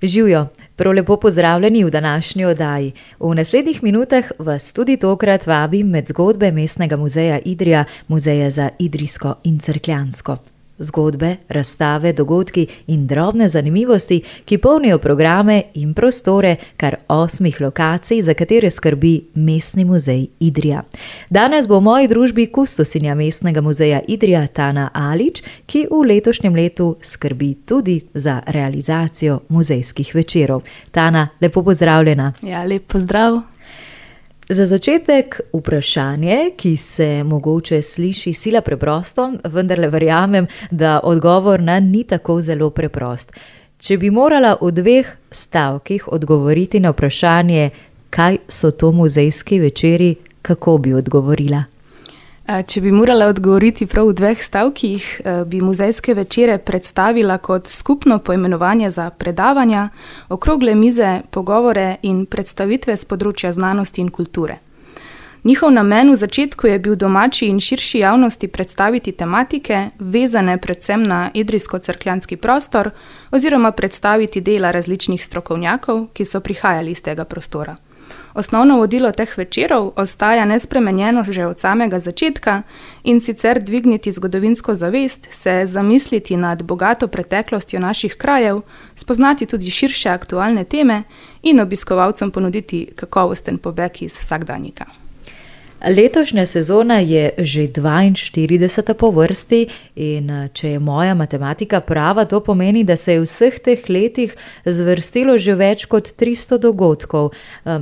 Živjo, prav lepo pozdravljeni v današnji oddaji. V naslednjih minutah vas tudi tokrat vabim med zgodbe Mestnega muzeja Idrija, Muzeja za idrijsko in cerkljansko. Zgodbe, razstave, dogodki in drobne zanimivosti, ki polnijo programe in prostore kar 8 lokacij, za katere skrbi Mestni muzej Idrija. Danes bo v moji družbi kustosinja Mestnega muzeja Idrija Tana Alič, ki v letošnjem letu skrbi tudi za realizacijo muzejskih večerov. Tana, lepo pozdravljena. Ja, lep pozdrav. Za začetek vprašanje, ki se mogoče sliši sila preprosto, vendarle verjamem, da odgovor ni tako zelo preprost. Če bi morala v 2 stavkih odgovoriti na vprašanje, kaj so to muzejski večeri, kako bi odgovorila? Če bi morala odgovoriti prav v 2 stavkih, bi muzejske večere predstavila kot skupno poimenovanje za predavanja, okrogle mize, pogovore in predstavitve z področja znanosti in kulture. Njihov namen v začetku je bil domači in širši javnosti predstaviti tematike, vezane predvsem na idrijsko-cerkljanski prostor, oziroma predstaviti dela različnih strokovnjakov, ki so prihajali iz tega prostora. Osnovno vodilo teh večerov ostaja nespremenjeno že od samega začetka, in sicer dvigniti zgodovinsko zavest, se zamisliti nad bogato preteklostjo naših krajev, spoznati tudi širše aktualne teme in obiskovalcem ponuditi kakovosten pobeg iz vsakdanjika. Letošnja sezona je že 42. po vrsti in če je moja matematika prava, to pomeni, da se je v vseh teh letih zvrstilo že več kot 300 dogodkov.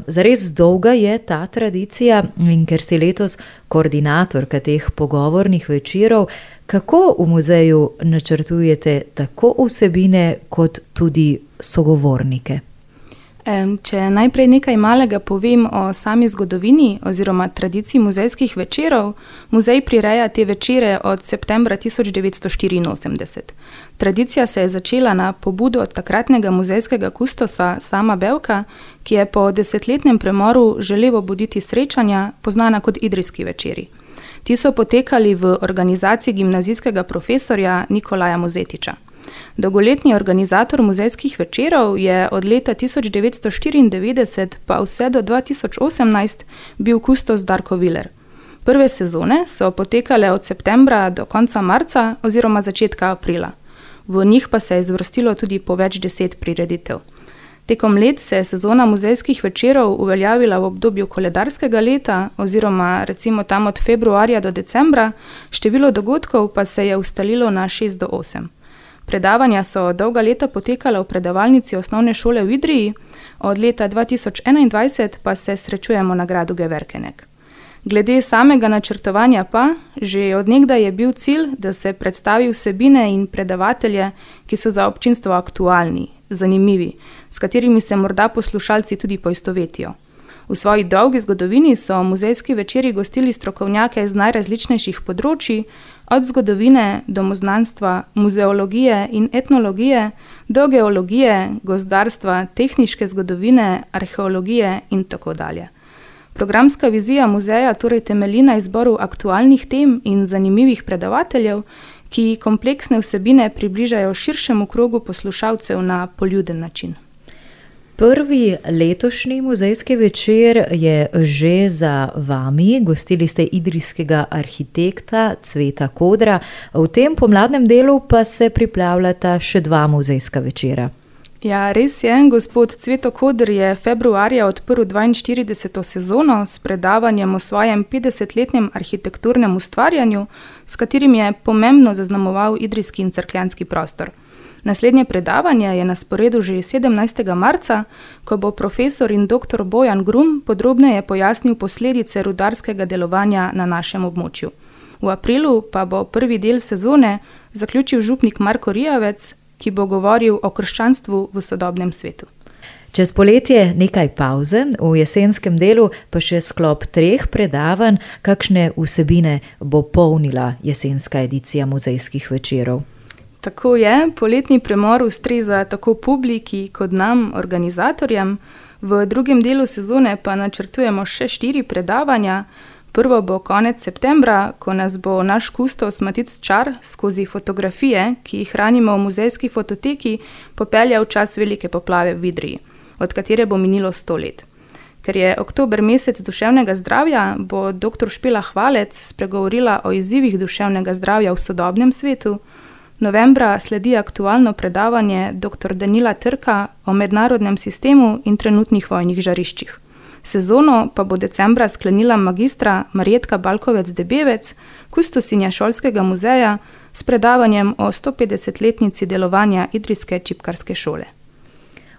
Zares dolga je ta tradicija in ker si letos koordinatorka teh pogovornih večerov, kako v muzeju načrtujete tako vsebine kot tudi sogovornike? Če najprej nekaj malega povem o sami zgodovini oziroma tradiciji muzejskih večerov, muzej prireja te večere od septembra 1984. Tradicija se je začela na pobudo od takratnega muzejskega kustosa Sama Bevka, ki je po 10-letnem premoru želel obuditi srečanja, poznana kot idrijski večeri. Ti so potekali v organizaciji gimnazijskega profesorja Nikolaja Mozetiča. Dolgoletni organizator muzejskih večerov je od leta 1994 pa vse do 2018 bil kustos Darko Viler. Prve sezone so potekale od septembra do konca marca oziroma začetka aprila. V njih pa se je zvrstilo tudi po več 10 prireditev. Tekom let se je sezona muzejskih večerov uveljavila v obdobju koledarskega leta oziroma recimo tam od februarja do decembra, število dogodkov pa se je ustalilo na 6 do 8. Predavanja so dolga leta potekala v predavalnici osnovne šole v Idriji, od leta 2021 pa se srečujemo na gradu Geverkenek. Glede samega načrtovanja pa, že od nekdaj je bil cilj, da se predstavi vsebine in predavatelje, ki so za občinstvo aktualni, zanimivi, s katerimi se morda poslušalci tudi poistovetijo. V svoji dolgi zgodovini so muzejski večeri gostili strokovnjake z najrazličnejših področji, od zgodovine, domoznanstva, muzeologije in etnologije, do geologije, gozdarstva, tehniške zgodovine, arheologije in tako dalje. Programska vizija muzeja torej temelji na izboru aktualnih tem in zanimivih predavateljev, ki kompleksne vsebine približajo širšemu krogu poslušalcev na poljuden način. Prvi letošnji muzejski večer je že za vami. Gostili ste idrijskega arhitekta Cveta Kodra. V tem pomladnem delu pa se pripravljata še 2 muzejska večera. Ja, res je. Gospod Cveto Koder je februarja odprl 42. sezono s predavanjem o svojem 50-letnem arhitekturnem ustvarjanju, s katerim je pomembno zaznamoval idrijski in cerkljanski prostor. Naslednje predavanje je na sporedu že 17. marca, ko bo profesor in dr. Bojan Grum podrobneje pojasnil posledice rudarskega delovanja na našem območju. V aprilu pa bo prvi del sezone zaključil župnik Marko Rijavec, ki bo govoril o krščanstvu v sodobnem svetu. Čez poletje nekaj pavze, v jesenskem delu pa še sklop 3 predavanj, kakšne vsebine bo polnila jesenska edicija muzejskih večerov. Tako je, poletni premor ustreza tako publiki kot nam, organizatorjem. V drugem delu sezone pa načrtujemo še 4 predavanja. Prvo bo konec septembra, ko nas bo naš kustos Matic Čar skozi fotografije, ki jih hranimo v muzejski fototeki, popeljal v čas velike poplave v Idriji, od katere bo minilo 100 let. Ker je oktober mesec duševnega zdravja, bo dr. Špela Hvalec spregovorila o izzivih duševnega zdravja v sodobnem svetu. Novembra sledi aktualno predavanje dr. Danila Trka o mednarodnem sistemu in trenutnih vojnih žariščih. Sezono pa bo decembra sklenila magistra Marjetka Balkovec-Debevec, kustosinja šolskega muzeja, s predavanjem o 150-letnici delovanja idrijske čipkarske šole.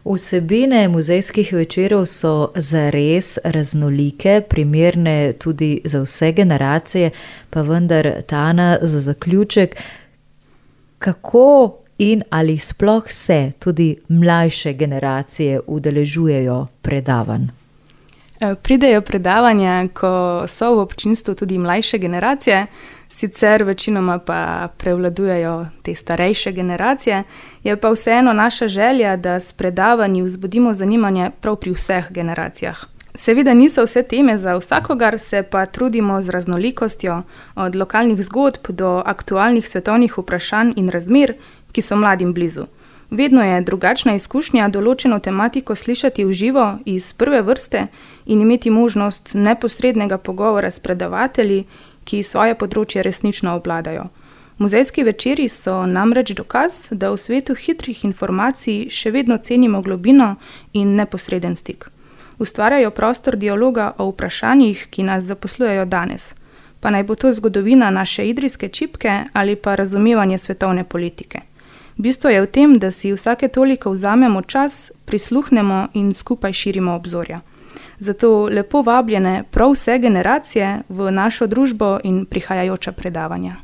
Vsebine muzejskih večerov so zares raznolike, primerne tudi za vse generacije, pa vendar, Tana, za zaključek, kako in ali sploh se tudi mlajše generacije udeležujejo predavanj? Pridejo predavanja, ko so v občinstvu tudi mlajše generacije, sicer večinoma pa prevladujejo te starejše generacije, je pa vseeno naša želja, da s predavanji vzbudimo zanimanje prav pri vseh generacijah. Seveda niso vse teme za vsakogar, se pa trudimo z raznolikostjo, od lokalnih zgodb do aktualnih svetovnih vprašanj in razmer, ki so mladim blizu. Vedno je drugačna izkušnja določeno tematiko slišati v živo iz prve vrste in imeti možnost neposrednega pogovora s predavatelji, ki svoje področje resnično obvladajo. Muzejski večeri so namreč dokaz, da v svetu hitrih informacij še vedno cenimo globino in neposreden stik. Ustvarjajo prostor dialoga o vprašanjih, ki nas zaposlujejo danes, pa naj bo to zgodovina naše idrijske čipke ali pa razumevanje svetovne politike. Bistvo je v tem, da si vsake toliko vzamemo čas, prisluhnemo in skupaj širimo obzorja. Zato lepo vabljene prav vse generacije v našo družbo in prihajajoča predavanja.